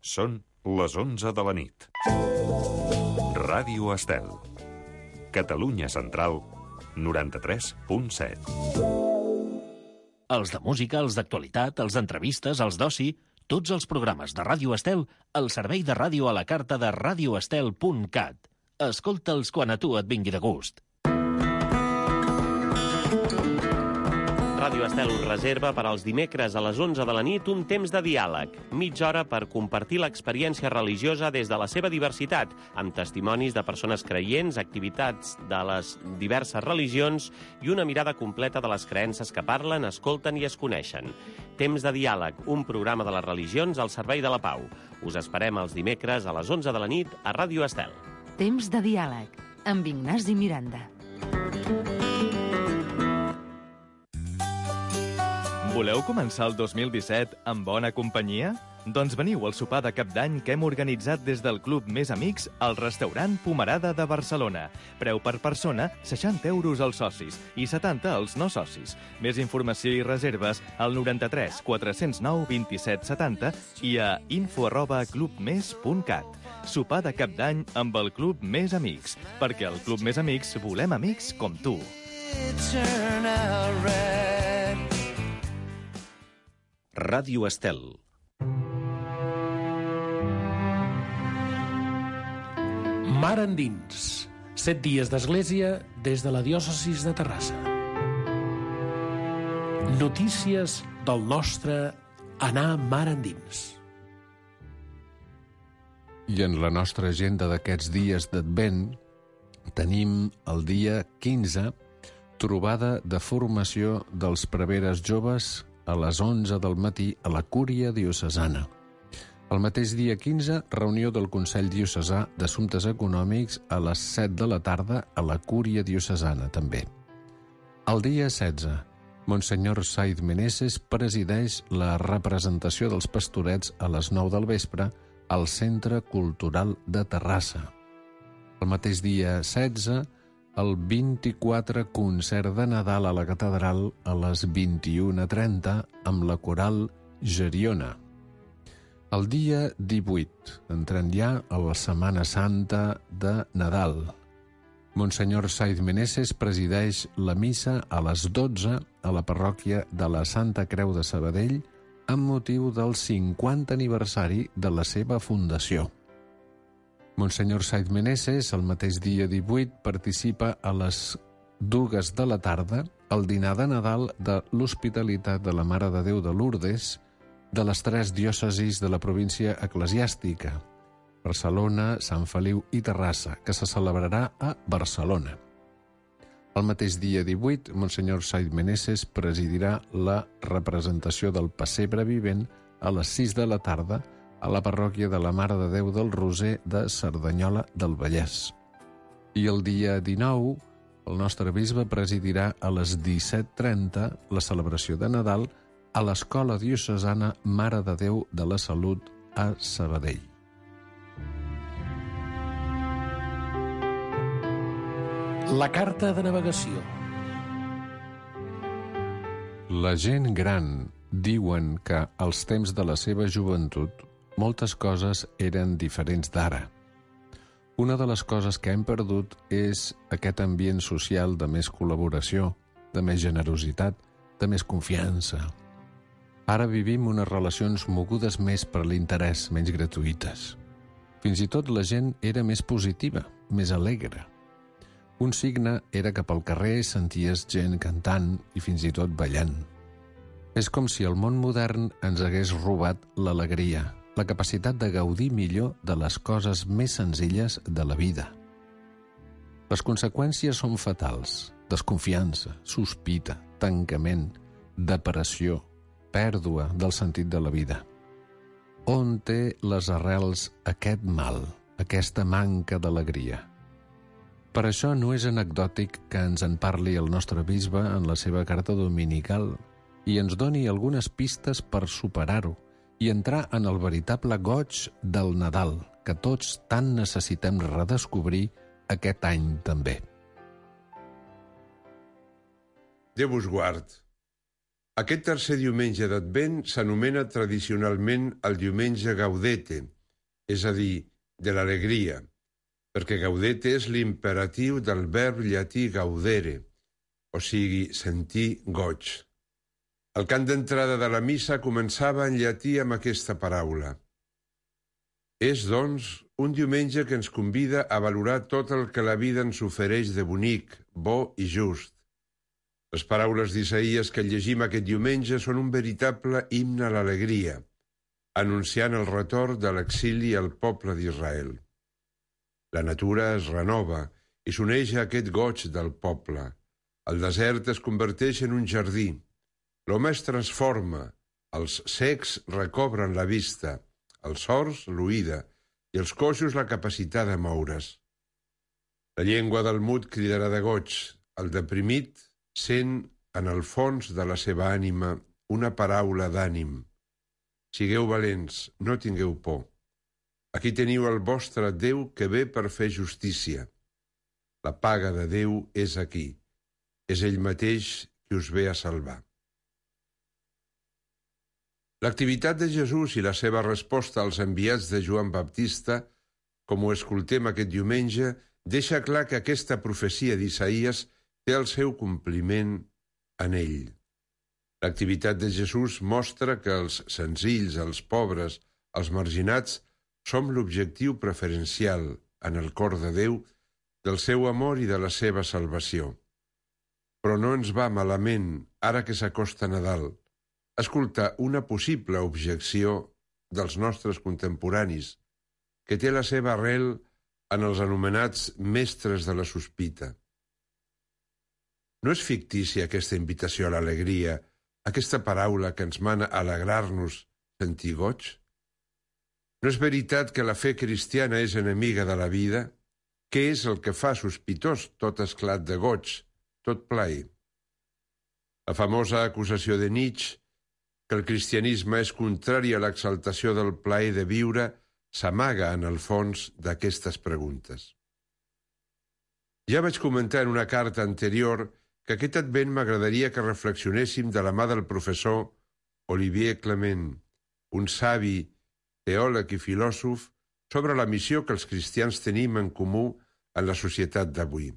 Són les 11 de la nit. Ràdio Estel. Catalunya Central, 93.7. Els de música, els d'actualitat, els d'entrevistes, els d'oci, tots els programes de Ràdio Estel al servei de ràdio a la carta de radioestel.cat. Escolta'ls quan a tu et vingui de gust. Ràdio Estel us reserva per als dimecres a les 11 de la nit un temps de diàleg, mitja hora per compartir l'experiència religiosa des de la seva diversitat, amb testimonis de persones creients, activitats de les diverses religions i una mirada completa de les creences que parlen, escolten i es coneixen. Temps de diàleg, un programa de les religions al servei de la pau. Us esperem els dimecres a les 11 de la nit a Ràdio Estel. Temps de diàleg, amb Ignasi Miranda. Voleu començar el 2017 amb bona companyia? Doncs veniu al sopar de cap d'any que hem organitzat des del Club Més Amics al restaurant Pomerada de Barcelona. Preu per persona, 60 euros als socis i 70 als no socis. Més informació i reserves al 93 409 27 70 i a info@clubmes.cat. Sopar de cap d'any amb el Club Més Amics, perquè al Club Més Amics volem amics com tu. Ràdio Estel. Mar endins. 7 dies d'església des de la diòcesis de Terrassa. Notícies del nostre anar mar endins. I en la nostra agenda d'aquests dies d'Advent tenim el dia 15, trobada de formació dels preveres joves a les 11 del matí a la Cúria Diocesana. El mateix dia 15, reunió del Consell Diocesà d'Assumptes Econòmics a les 7 de la tarda a la Cúria Diocesana, també. El dia 16, Monsenyor Saiz Meneses presideix la representació dels pastorets a les 9 del vespre al Centre Cultural de Terrassa. El mateix dia 16, el 24 concert de Nadal a la Catedral a les 21:30 amb la coral Geriona. El dia 18, entrant ja a la Setmana Santa de Nadal. Monsenyor Saiz Meneses presideix la missa a les 12 a la parròquia de la Santa Creu de Sabadell amb motiu del 50 aniversari de la seva fundació. Monsenyor Saiz Meneses, el mateix dia 18, participa a les 2 de la tarda al dinar de Nadal de l'Hospitalitat de la Mare de Déu de Lourdes de les 3 diòcesis de la província eclesiàstica, Barcelona, Sant Feliu i Terrassa, que se celebrarà a Barcelona. El mateix dia 18, Monsenyor Saiz Meneses presidirà la representació del Pessebre Vivent a les 6 de la tarda a la parròquia de la Mare de Déu del Roser de Cerdanyola del Vallès. I el dia 19, el nostre bisbe presidirà a les 17:30 la celebració de Nadal a l'Escola Diocesana Mare de Déu de la Salut a Sabadell. La carta de navegació. La gent gran diuen que als temps de la seva joventut moltes coses eren diferents d'ara. Una de les coses que hem perdut és aquest ambient social de més col·laboració, de més generositat, de més confiança. Ara vivim unes relacions mogudes més per l'interès, menys gratuïtes. Fins i tot la gent era més positiva, més alegre. Un signe era que pel carrer senties gent cantant i fins i tot ballant. És com si el món modern ens hagués robat l'alegria, la capacitat de gaudir millor de les coses més senzilles de la vida. Les conseqüències són fatals: desconfiança, sospita, tancament, depressió, pèrdua del sentit de la vida. On té les arrels aquest mal, aquesta manca d'alegria? Per això no és anecdòtic que ens en parli el nostre bisbe en la seva carta dominical i ens doni algunes pistes per superar-ho i entrar en el veritable goig del Nadal, que tots tant necessitem redescobrir aquest any també. Déu us guard. Aquest tercer diumenge d'Advent s'anomena tradicionalment el diumenge Gaudete, és a dir, de l'alegria, perquè gaudete és l'imperatiu del verb llatí gaudere, o sigui, sentir goig. El cant d'entrada de la missa començava en llatí amb aquesta paraula. És, doncs, un diumenge que ens convida a valorar tot el que la vida ens ofereix de bonic, bo i just. Les paraules d'Isaïes que llegim aquest diumenge són un veritable himne a l'alegria, anunciant el retorn de l'exili al poble d'Israel. La natura es renova i s'uneix a aquest goig del poble. El desert es converteix en un jardí. L'home es transforma, els cecs recobren la vista, els sords l'oïda i els coixos la capacitat de moure's. La llengua del mut cridarà de goig, el deprimit sent en el fons de la seva ànima una paraula d'ànim. Sigueu valents, no tingueu por. Aquí teniu el vostre Déu que ve per fer justícia. La paga de Déu és aquí. És ell mateix qui us ve a salvar. L'activitat de Jesús i la seva resposta als enviats de Joan Baptista, com ho escoltem aquest diumenge, deixa clar que aquesta profecia d'Isaïes té el seu compliment en ell. L'activitat de Jesús mostra que els senzills, els pobres, els marginats, som l'objectiu preferencial, en el cor de Déu, del seu amor i de la seva salvació. Però no ens va malament, ara que s'acosta Nadal, escoltar una possible objecció dels nostres contemporanis, que té la seva arrel en els anomenats mestres de la sospita. No és fictícia aquesta invitació a l'alegria, aquesta paraula que ens mana a alegrar-nos, sentir goig? No és veritat que la fe cristiana és enemiga de la vida? Què és el que fa sospitós tot esclat de goig, tot plaer? La famosa acusació de Nietzsche, que el cristianisme és contrari a l'exaltació del plaer de viure, s'amaga en el fons d'aquestes preguntes. Ja vaig comentar en una carta anterior que aquest advent m'agradaria que reflexionéssim de la mà del professor Olivier Clement, un savi, teòleg i filòsof, sobre la missió que els cristians tenim en comú en la societat d'avui.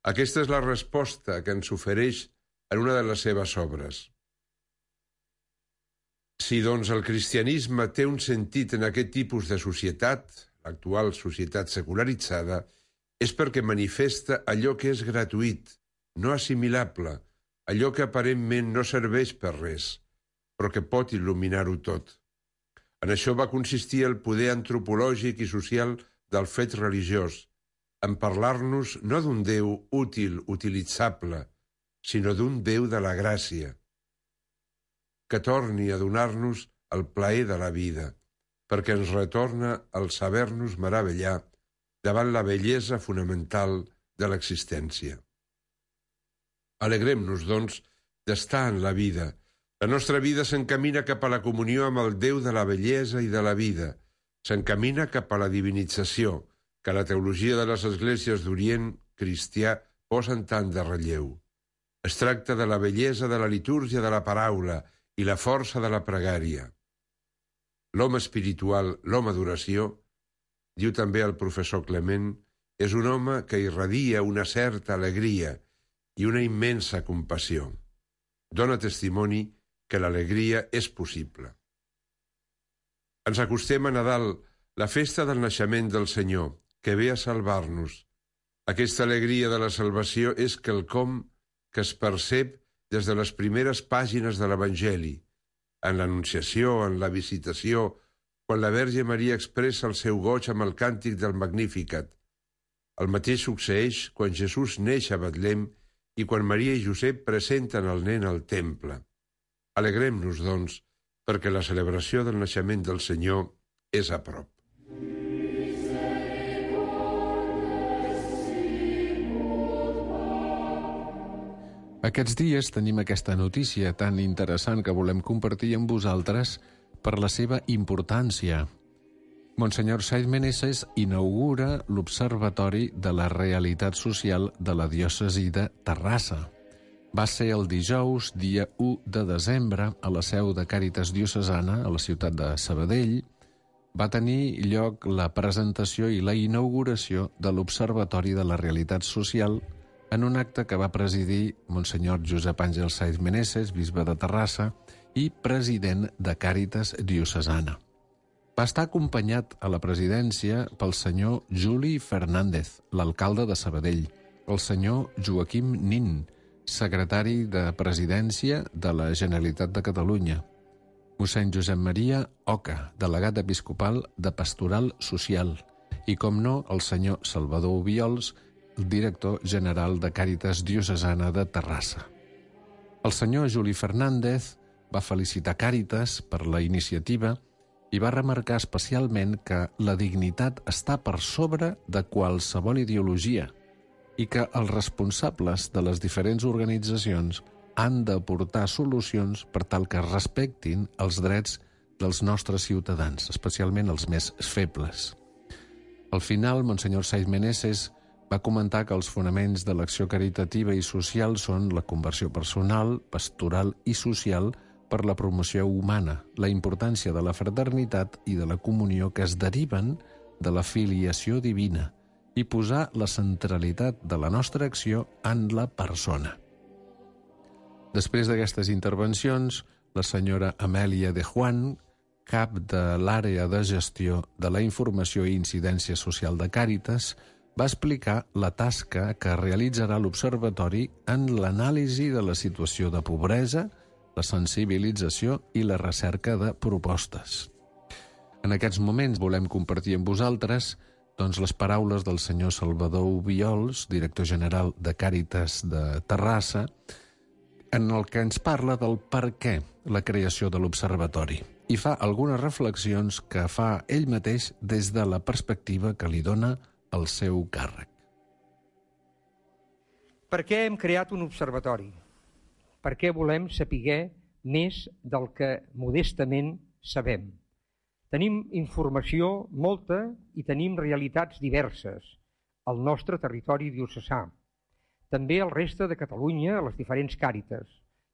Aquesta és la resposta que ens ofereix en una de les seves obres. Si, doncs, el cristianisme té un sentit en aquest tipus de societat, l'actual societat secularitzada, és perquè manifesta allò que és gratuït, no assimilable, allò que aparentment no serveix per res, però que pot il·luminar-ho tot. En això va consistir el poder antropològic i social del fet religiós, en parlar-nos no d'un Déu útil, utilitzable, sinó d'un Déu de la gràcia, que torni a donar-nos el plaer de la vida, perquè ens retorna el saber-nos meravellar davant la bellesa fonamental de l'existència. Alegrem-nos, doncs, d'estar en la vida. La nostra vida s'encamina cap a la comunió amb el Déu de la bellesa i de la vida. S'encamina cap a la divinització, que la teologia de les esglésies d'Orient cristià posen tant de relleu. Es tracta de la bellesa de la litúrgia de la paraula i la força de la pregària. L'home espiritual, l'home d'oració, diu també el professor Clement, és un home que irradia una certa alegria i una immensa compassió. Dóna testimoni que l'alegria és possible. Ens acostem a Nadal, la festa del naixement del Senyor, que ve a salvar-nos. Aquesta alegria de la salvació és quelcom que es percep des de les primeres pàgines de l'Evangeli, en l'Anunciació, en la Visitació, quan la Verge Maria expressa el seu goig amb el càntic del Magnificat. El mateix succeeix quan Jesús neix a Betlem i quan Maria i Josep presenten el nen al temple. Alegrem-nos, doncs, perquè la celebració del naixement del Senyor és a prop. Aquests dies tenim aquesta notícia tan interessant que volem compartir amb vosaltres per la seva importància. Monsenyor Saiz Meneses inaugura l'Observatori de la Realitat Social de la diòcesi de Terrassa. Va ser el dijous, dia 1 de desembre, a la seu de Càritas Diocesana, a la ciutat de Sabadell. va tenir lloc la presentació i la inauguració de l'Observatori de la Realitat Social en un acte que va presidir Monsenyor Josep Àngel Saiz Meneses, bisbe de Terrassa i president de Càritas Diocesana. Va estar acompanyat a la presidència pel senyor Juli Fernández, l'alcalde de Sabadell, el senyor Joaquim Nin, secretari de Presidència de la Generalitat de Catalunya, mossèn Josep Maria Oca, delegat episcopal de Pastoral Social, i, com no, el senyor Salvador Obiols, el director general de Càritas Diocesana de Terrassa. El senyor Juli Fernández va felicitar Càritas per la iniciativa i va remarcar especialment que la dignitat està per sobre de qualsevol ideologia i que els responsables de les diferents organitzacions han d'aportar solucions per tal que respectin els drets dels nostres ciutadans, especialment els més febles. Al final, Monsenyor Saiz Meneses va comentar que els fonaments de l'acció caritativa i social són la conversió personal, pastoral i social per la promoció humana, la importància de la fraternitat i de la comunió que es deriven de la filiació divina i posar la centralitat de la nostra acció en la persona. Després d'aquestes intervencions, la senyora Amèlia de Juan, cap de l'àrea de gestió de la informació i incidència social de Càritas, va explicar la tasca que realitzarà l'Observatori en l'anàlisi de la situació de pobresa, la sensibilització i la recerca de propostes. En aquests moments volem compartir amb vosaltres les paraules del senyor Salvador Obiols, director general de Càritas de Terrassa, en el que ens parla del per què la creació de l'Observatori i fa algunes reflexions que fa ell mateix des de la perspectiva que li dona el seu càrrec. Per què hem creat un observatori? Per què volem saber més del que modestament sabem? Tenim informació molta i tenim realitats diverses al nostre territori diocesà, també al reste de Catalunya, a les diferents càritas.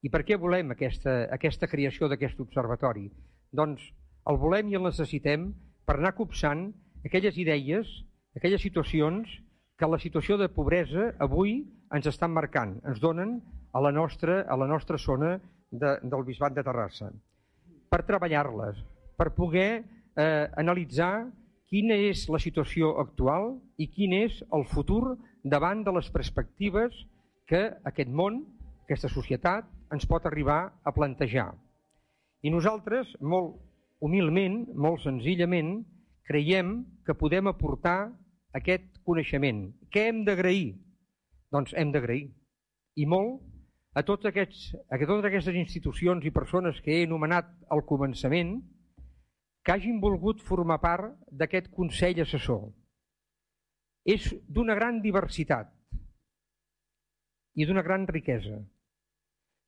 I per què volem aquesta creació d'aquest observatori? Doncs el volem i el necessitem per anar copsant aquelles idees, aquelles situacions que la situació de pobresa avui ens estan marcant, ens donen a la nostra zona del Bisbat de Terrassa, per treballar-les, per poder analitzar quina és la situació actual i quin és el futur davant de les perspectives que aquest món, aquesta societat, ens pot arribar a plantejar. I nosaltres, molt humilment, molt senzillament, creiem que podem aportar aquest coneixement. Què hem d'agrair? Doncs hem d'agrair, i molt, a totes aquestes institucions i persones que he anomenat al començament, que hagin volgut formar part d'aquest Consell Assessor. És d'una gran diversitat i d'una gran riquesa.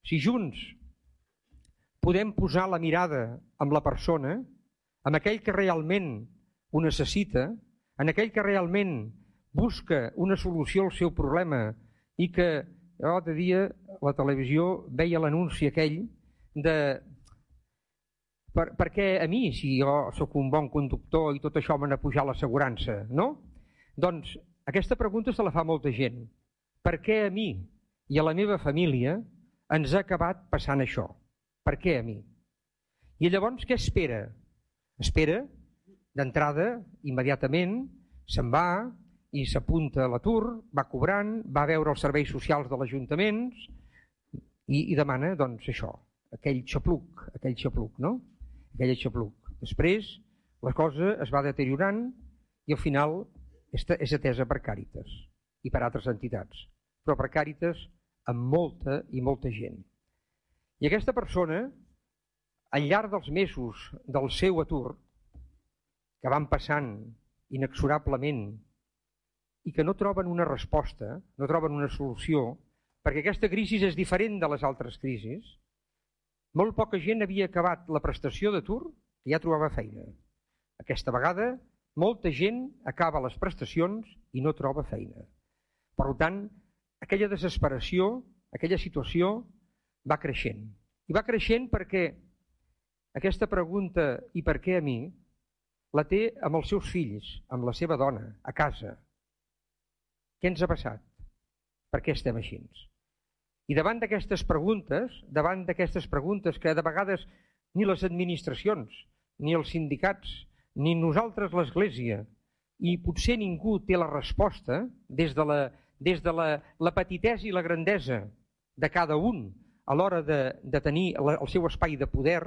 Si junts podem posar la mirada en la persona, en aquell que realment ho necessita, en aquell que realment busca una solució al seu problema i que l'altre dia a la televisió veia l'anunci aquell de per què a mi, si jo sóc un bon conductor i tot això m'ha de pujar l'assegurança, no? Doncs aquesta pregunta se la fa molta gent. Per què a mi i a la meva família ens ha acabat passant això? Per què a mi? I llavors què espera? Espera, d'entrada, immediatament, se'n va i s'apunta a l'atur, va cobrant, va veure els serveis socials de l'Ajuntament i demana, doncs, això, aquell xapluc, no? Aquell xapluc. Després, la cosa es va deteriorant i al final és atesa per Càritas i per altres entitats, però per Càritas amb molta i molta gent. I aquesta persona, al llarg dels mesos del seu atur, que van passant inexorablement i que no troben una resposta, no troben una solució, perquè aquesta crisi és diferent de les altres crisis, molt poca gent havia acabat la prestació d'atur i ja trobava feina. Aquesta vegada, molta gent acaba les prestacions i no troba feina. Per tant, aquella desesperació, aquella situació va creixent. I va creixent perquè aquesta pregunta, i per què a mi, la té amb els seus fills, amb la seva dona, a casa. Què ens ha passat? Per què estem així? I davant d'aquestes preguntes que de vegades ni les administracions, ni els sindicats, ni nosaltres l'Església, i potser ningú té la resposta des de la petitesa i la grandesa de cada un a l'hora de tenir el seu espai de poder,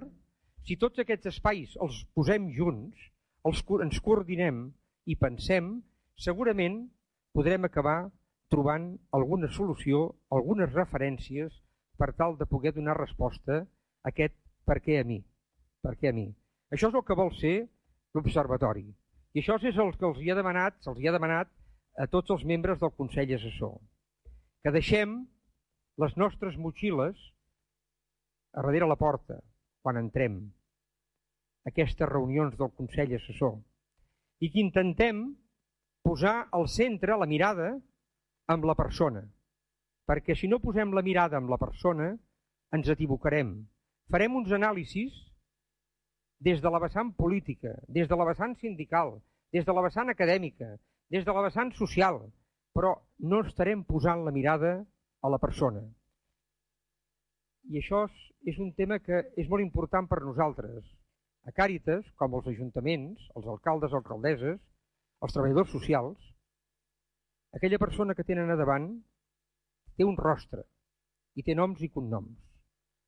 si tots aquests espais els posem junts, ens coordinem i pensem, segurament podrem acabar trobant alguna solució, algunes referències per tal de poder donar resposta a aquest per què a mi. Per què a mi? Això és el que vol ser l'Observatori. I això és el que se'ls hi ha demanat a tots els membres del Consell Assessor. Que deixem les nostres motxilles a darrere la porta, quan entrem a aquestes reunions del Consell Assessor, i que intentem posar al centre la mirada amb la persona, perquè si no posem la mirada amb la persona ens equivocarem. Farem uns anàlisis des de la vessant política, des de la vessant sindical, des de la vessant acadèmica, des de la vessant social, però no estarem posant la mirada a la persona. I això és un tema que és molt important per nosaltres. A Càritas, com els ajuntaments, els alcaldes o alcaldesses, els treballadors socials, aquella persona que tenen a davant té un rostre i té noms i cognoms.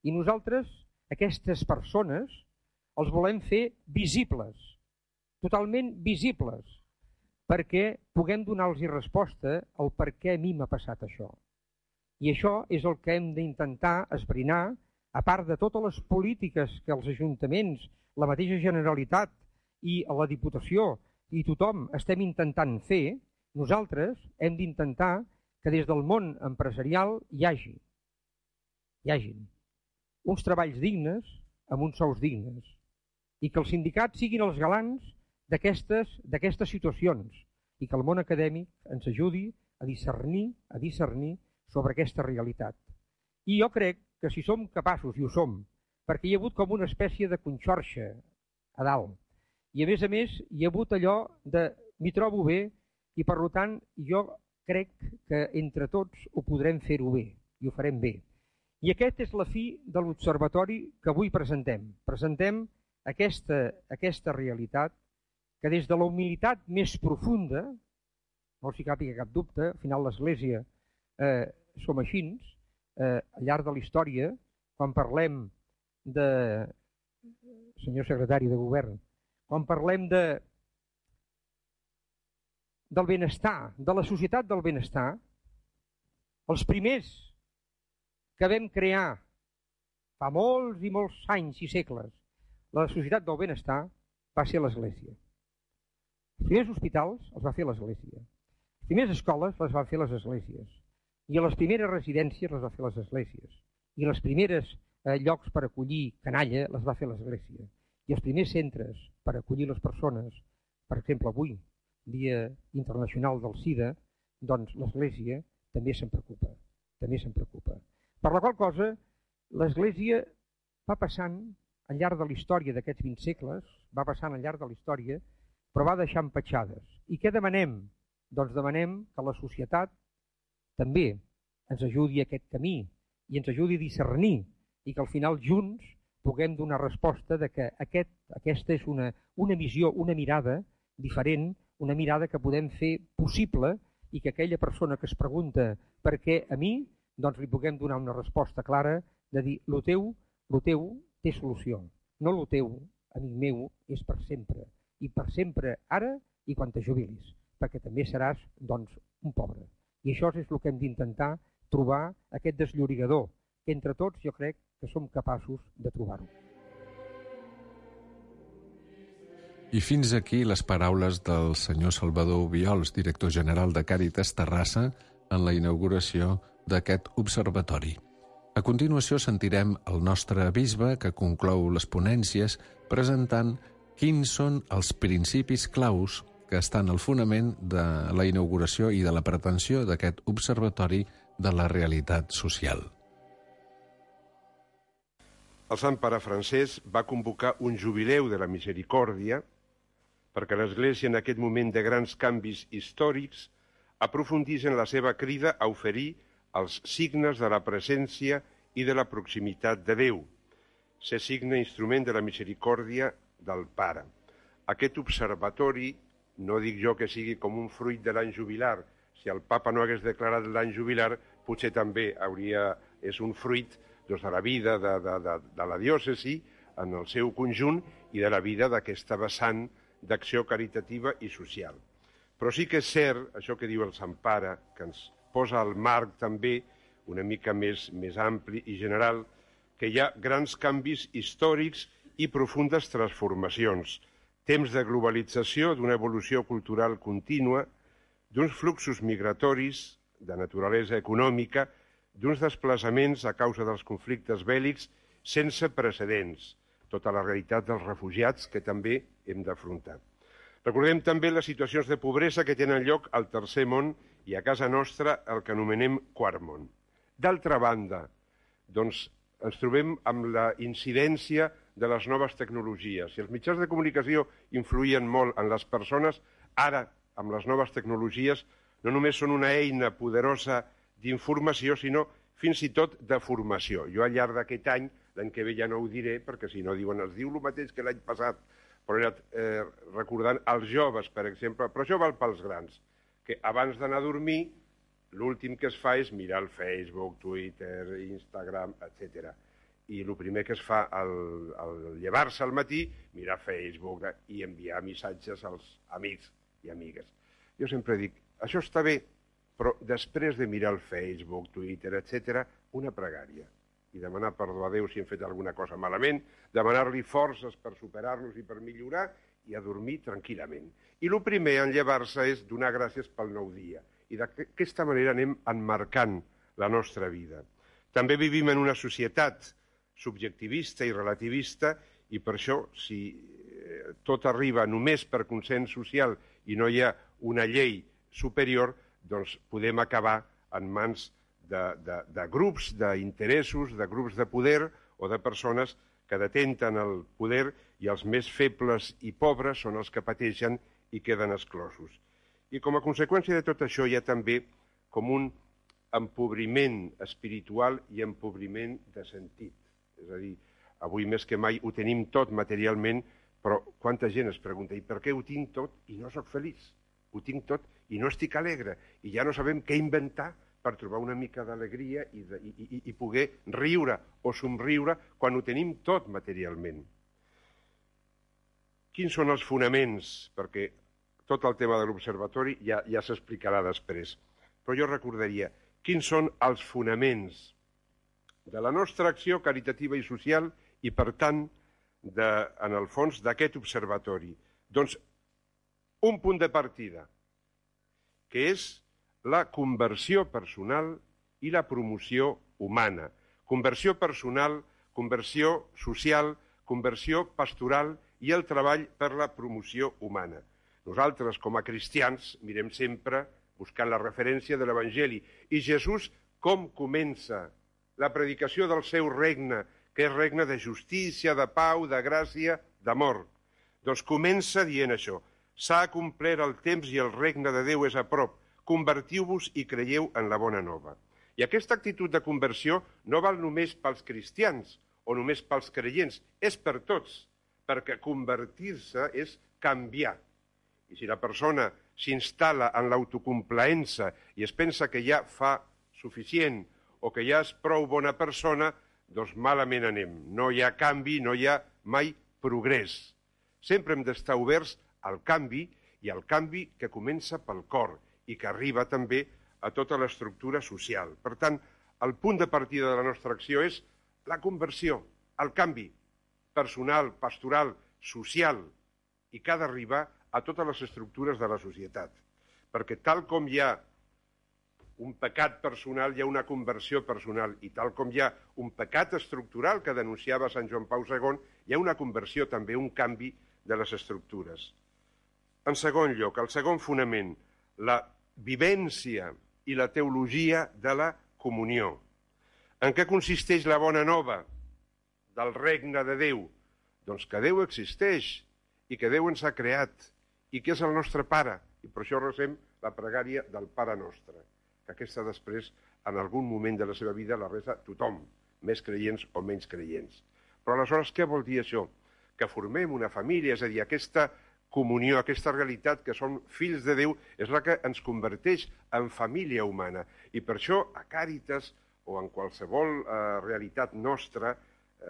I nosaltres, aquestes persones, els volem fer visibles, totalment visibles, perquè puguem donar-los resposta al per què a mi m'ha passat això. I això és el que hem d'intentar esbrinar, a part de totes les polítiques que els ajuntaments, la mateixa Generalitat i la Diputació i tothom estem intentant fer, nosaltres hem d'intentar que des del món empresarial hi hagin uns treballs dignes amb uns sous dignes i que els sindicats siguin els galants d'aquestes situacions i que el món acadèmic ens ajudi a discernir sobre aquesta realitat. I jo crec que si som capaços, i ho som, perquè hi ha hagut com una espècie de conxorxa a dalt, i a més hi ha hagut allò de m'hi trobo bé i per tant jo crec que entre tots ho podrem fer-ho bé i ho farem bé. I aquesta és la fi de l'Observatori que avui presentem. Presentem aquesta realitat que des de la humilitat més profunda, no s'hi càpiga cap dubte, al final l'Església som així, al llarg de la història, quan parlem de, senyor secretari de govern, quan parlem del benestar, de la societat del benestar, els primers que vam crear fa molts i molts anys i segles la societat del benestar va ser l'Església. Els primers hospitals els va fer l'Església. Les primeres escoles les van fer les esglésies. I les primeres residències les va fer les esglésies. I les primeres llocs per acollir canalla les va fer l'Església. I els primers centres per acollir les persones, per exemple avui, Dia Internacional del SIDA, doncs l'Església també se'n preocupa. Per la qual cosa, l'Església va passant al llarg de la història d'aquests 20 segles, va passant al llarg de la història, però va deixant petjades. I què demanem? Doncs demanem que la societat també ens ajudi a aquest camí i ens ajudi a discernir i que al final junts puguem donar resposta de que aquesta és una visió, una mirada diferent, una mirada que podem fer possible i que aquella persona que es pregunta per què a mi, doncs li puguem donar una resposta clara de dir lo teu té solució, no lo teu, amic meu, és per sempre. I per sempre ara i quan te jubilis, perquè també seràs doncs, un pobre. I això és el que hem d'intentar trobar aquest desllorigador, que entre tots jo crec que som capaços de trobar-ho. I fins aquí les paraules del senyor Salvador Obiols, director general de Càritas Terrassa, en la inauguració d'aquest observatori. A continuació sentirem el nostre bisbe que conclou les ponències presentant quins són els principis claus que estan al fonament de la inauguració i de la pretensió d'aquest observatori de la realitat social. El Sant Pare Francesc va convocar un jubileu de la misericòrdia perquè l'Església, en aquest moment de grans canvis històrics, aprofundís en la seva crida a oferir els signes de la presència i de la proximitat de Déu, ser signe instrument de la misericòrdia del Pare. Aquest observatori, no dic jo que sigui com un fruit de l'any jubilar, si el papa no hagués declarat l'any jubilar, potser també és un fruit de la vida de la diòcesi en el seu conjunt i de la vida d'aquesta vessant d'acció caritativa i social. Però sí que és cert, això que diu el Sant Pare, que ens posa al marc també una mica més ampli i general, que hi ha grans canvis històrics i profundes transformacions, temps de globalització, d'una evolució cultural contínua, d'uns fluxos migratoris de naturalesa econòmica, d'uns desplaçaments a causa dels conflictes bèl·lics sense precedents, tota la realitat dels refugiats que també hem d'afrontar. Recordem també les situacions de pobresa que tenen lloc al Tercer Món i a casa nostra el que anomenem Quart Món. D'altra banda, doncs, ens trobem amb la incidència de les noves tecnologies. Si els mitjans de comunicació influïen molt en les persones, ara, amb les noves tecnologies, no només són una eina poderosa d'informació, sinó fins i tot de formació. Jo al llarg d'aquest any, l'any que ve ja no ho diré, perquè si no diuen, es diu el mateix que l'any passat, però he anat recordant els joves, per exemple, però això val pels grans, que abans d'anar a dormir, l'últim que es fa és mirar el Facebook, Twitter, Instagram, etc. I el primer que es fa al llevar-se al matí, mirar Facebook i enviar missatges als amics i amigues. Jo sempre dic, això està bé, però després de mirar el Facebook, Twitter, etc., una pregària. I demanar perdó a Déu si hem fet alguna cosa malament, demanar-li forces per superar-nos i per millorar i a dormir tranquil·lament. I el primer en llevar-se és donar gràcies pel nou dia. I d'aquesta manera anem emmarcant la nostra vida. També vivim en una societat subjectivista i relativista i per això, si tot arriba només per consens social i no hi ha una llei superior, doncs podem acabar en mans de grups d'interessos, de grups de poder o de persones que detenten el poder i els més febles i pobres són els que pateixen i queden exclosos. I com a conseqüència de tot això hi ha també com un empobriment espiritual i empobriment de sentit. És a dir, avui més que mai ho tenim tot materialment, però quanta gent es pregunta, i per què ho tinc tot i no sóc feliç? Ho tinc tot i no estic alegre, i ja no sabem què inventar per trobar una mica d'alegria i poder riure o somriure quan ho tenim tot materialment. Quins són els fonaments? Perquè tot el tema de l'observatori ja s'explicarà després. Però jo recordaria, quins són els fonaments de la nostra acció caritativa i social i, per tant, en el fons, d'aquest observatori? Doncs un punt de partida, que és la conversió personal i la promoció humana. Conversió personal, conversió social, conversió pastoral i el treball per la promoció humana. Nosaltres, com a cristians, mirem sempre buscant la referència de l'Evangeli. I Jesús, com comença la predicació del seu regne, que és regne de justícia, de pau, de gràcia, d'amor? Doncs comença dient això. S'ha complert el temps i el regne de Déu és a prop. Convertiu-vos i creieu en la bona nova. I aquesta actitud de conversió no val només pels cristians o només pels creients, és per tots, perquè convertir-se és canviar. I si la persona s'instal·la en l'autocomplaença i es pensa que ja fa suficient o que ja és prou bona persona, doncs malament anem. No hi ha canvi, no hi ha mai progrés. Sempre hem d'estar oberts al canvi i al canvi que comença pel cor i que arriba també a tota l'estructura social. Per tant, el punt de partida de la nostra acció és la conversió, el canvi personal, pastoral, social, i que ha d'arribar a totes les estructures de la societat. Perquè tal com hi ha un pecat personal, hi ha una conversió personal, i tal com hi ha un pecat estructural que denunciava Sant Joan Pau II, hi ha una conversió també, un canvi de les estructures. En segon lloc, el segon fonament, la vivència i la teologia de la comunió. En què consisteix la bona nova del regne de Déu? Doncs que Déu existeix i que Déu ens ha creat i què és el nostre pare, i per això recem la pregària del Pare Nostre, que aquesta després, en algun moment de la seva vida, la resa tothom, més creients o menys creients. Però aleshores, què vol dir això? Que formem una família, és a dir, aquesta comunió, aquesta realitat que som fills de Déu, és la que ens converteix en família humana. I per això, a Càritas, o en qualsevol realitat nostra,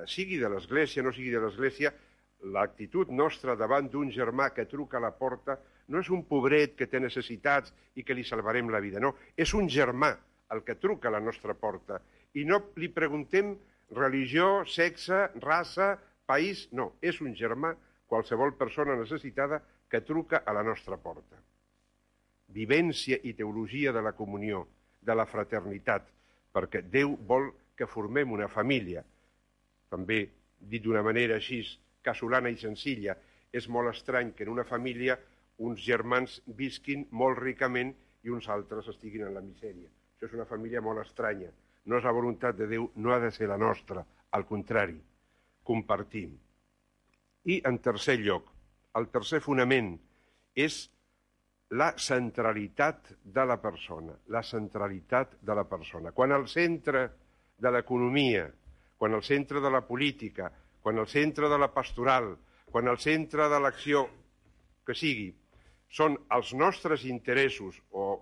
sigui de l'Església, no sigui de l'Església, l'actitud nostra davant d'un germà que truca a la porta no és un pobret que té necessitats i que li salvarem la vida, no. És un germà el que truca a la nostra porta. I no li preguntem religió, sexe, raça, país, no. És un germà, qualsevol persona necessitada, que truca a la nostra porta. Vivència i teologia de la comunió, de la fraternitat, perquè Déu vol que formem una família. També, dit d'una manera així casolana i senzilla, és molt estrany que en una família uns germans visquin molt ricament i uns altres estiguin en la misèria. Això és una família molt estranya. No és la voluntat de Déu, no ha de ser la nostra, al contrari, compartim. I, en tercer lloc, el tercer fonament és la centralitat de la persona, la centralitat de la persona. Quan al centre de l'economia, quan al centre de la política, quan al centre de la pastoral, quan al centre de l'acció que sigui, són els nostres interessos o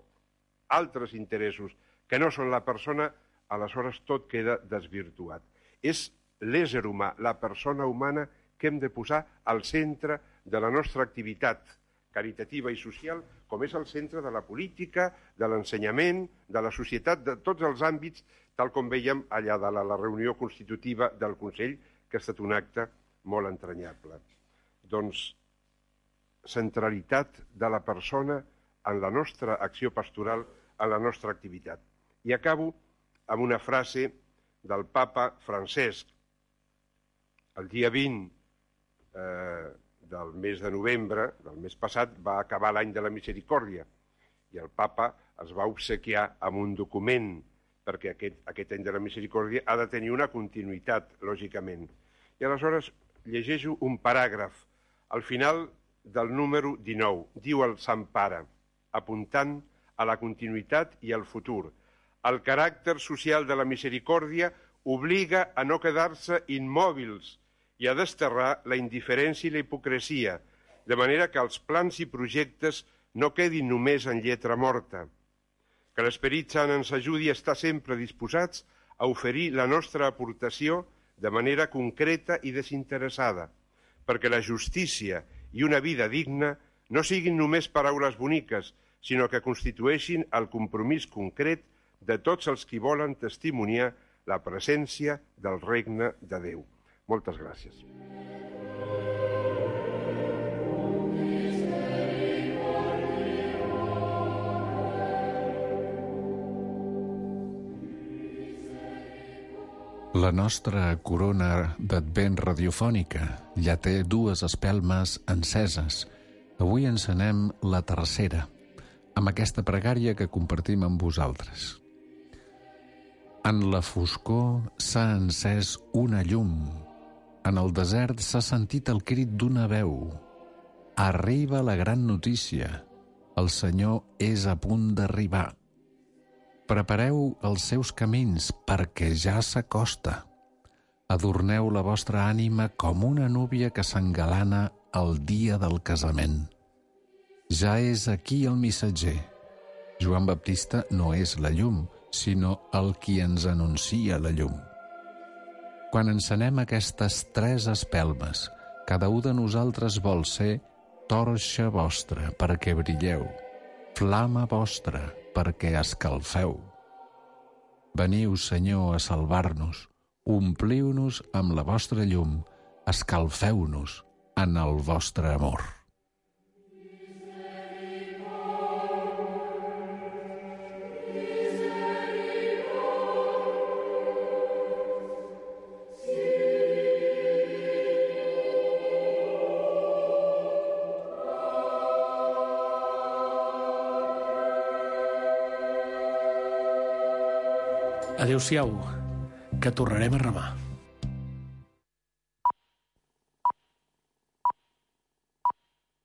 altres interessos que no són la persona, aleshores tot queda desvirtuat. És l'ésser humà, la persona humana, que hem de posar al centre de la nostra activitat caritativa i social, com és el centre de la política, de l'ensenyament, de la societat, de tots els àmbits, tal com veiem allà de la reunió constitutiva del Consell, que ha estat un acte molt entranyable. Doncs, centralitat de la persona en la nostra acció pastoral, en la nostra activitat. I acabo amb una frase del papa Francesc. El dia 20 del mes de novembre, del mes passat, va acabar l'any de la misericòrdia i el papa es va obsequiar amb un document perquè aquest any de la misericòrdia ha de tenir una continuïtat, lògicament. I aleshores llegeixo un paràgraf al final del número 19. Diu el Sant Pare, apuntant a la continuïtat i al futur: el caràcter social de la misericòrdia obliga a no quedar-se immòbils i a desterrar la indiferència i la hipocresia, de manera que els plans i projectes no quedin només en lletra morta. Que l'Esperit Sant ens ajudi a estar sempre disposats a oferir la nostra aportació de manera concreta i desinteressada, perquè la justícia i una vida digna no siguin només paraules boniques, sinó que constitueixin el compromís concret de tots els qui volen testimoniar la presència del regne de Déu. Moltes gràcies. La nostra corona d'advent radiofònica ja té 2 espelmes enceses. Avui encenem la tercera, amb aquesta pregària que compartim amb vosaltres. En la foscor s'ha encès una llum. En el desert s'ha sentit el crit d'una veu. Arriba la gran notícia. El Senyor és a punt d'arribar. Prepareu els seus camins, perquè ja s'acosta. Adorneu la vostra ànima com una núvia que s'engalana el dia del casament. Ja és aquí el missatger. Joan Baptista no és la llum, sinó el qui ens anuncia la llum. Quan encenem aquestes 3 espelmes, cada un de nosaltres vol ser torxa vostra perquè brilleu, flama vostra perquè escalfeu. Veniu, Senyor, a salvar-nos, ompliu-nos amb la vostra llum, escalfeu-nos en el vostre amor. Adéu-siau, que tornarem a remar.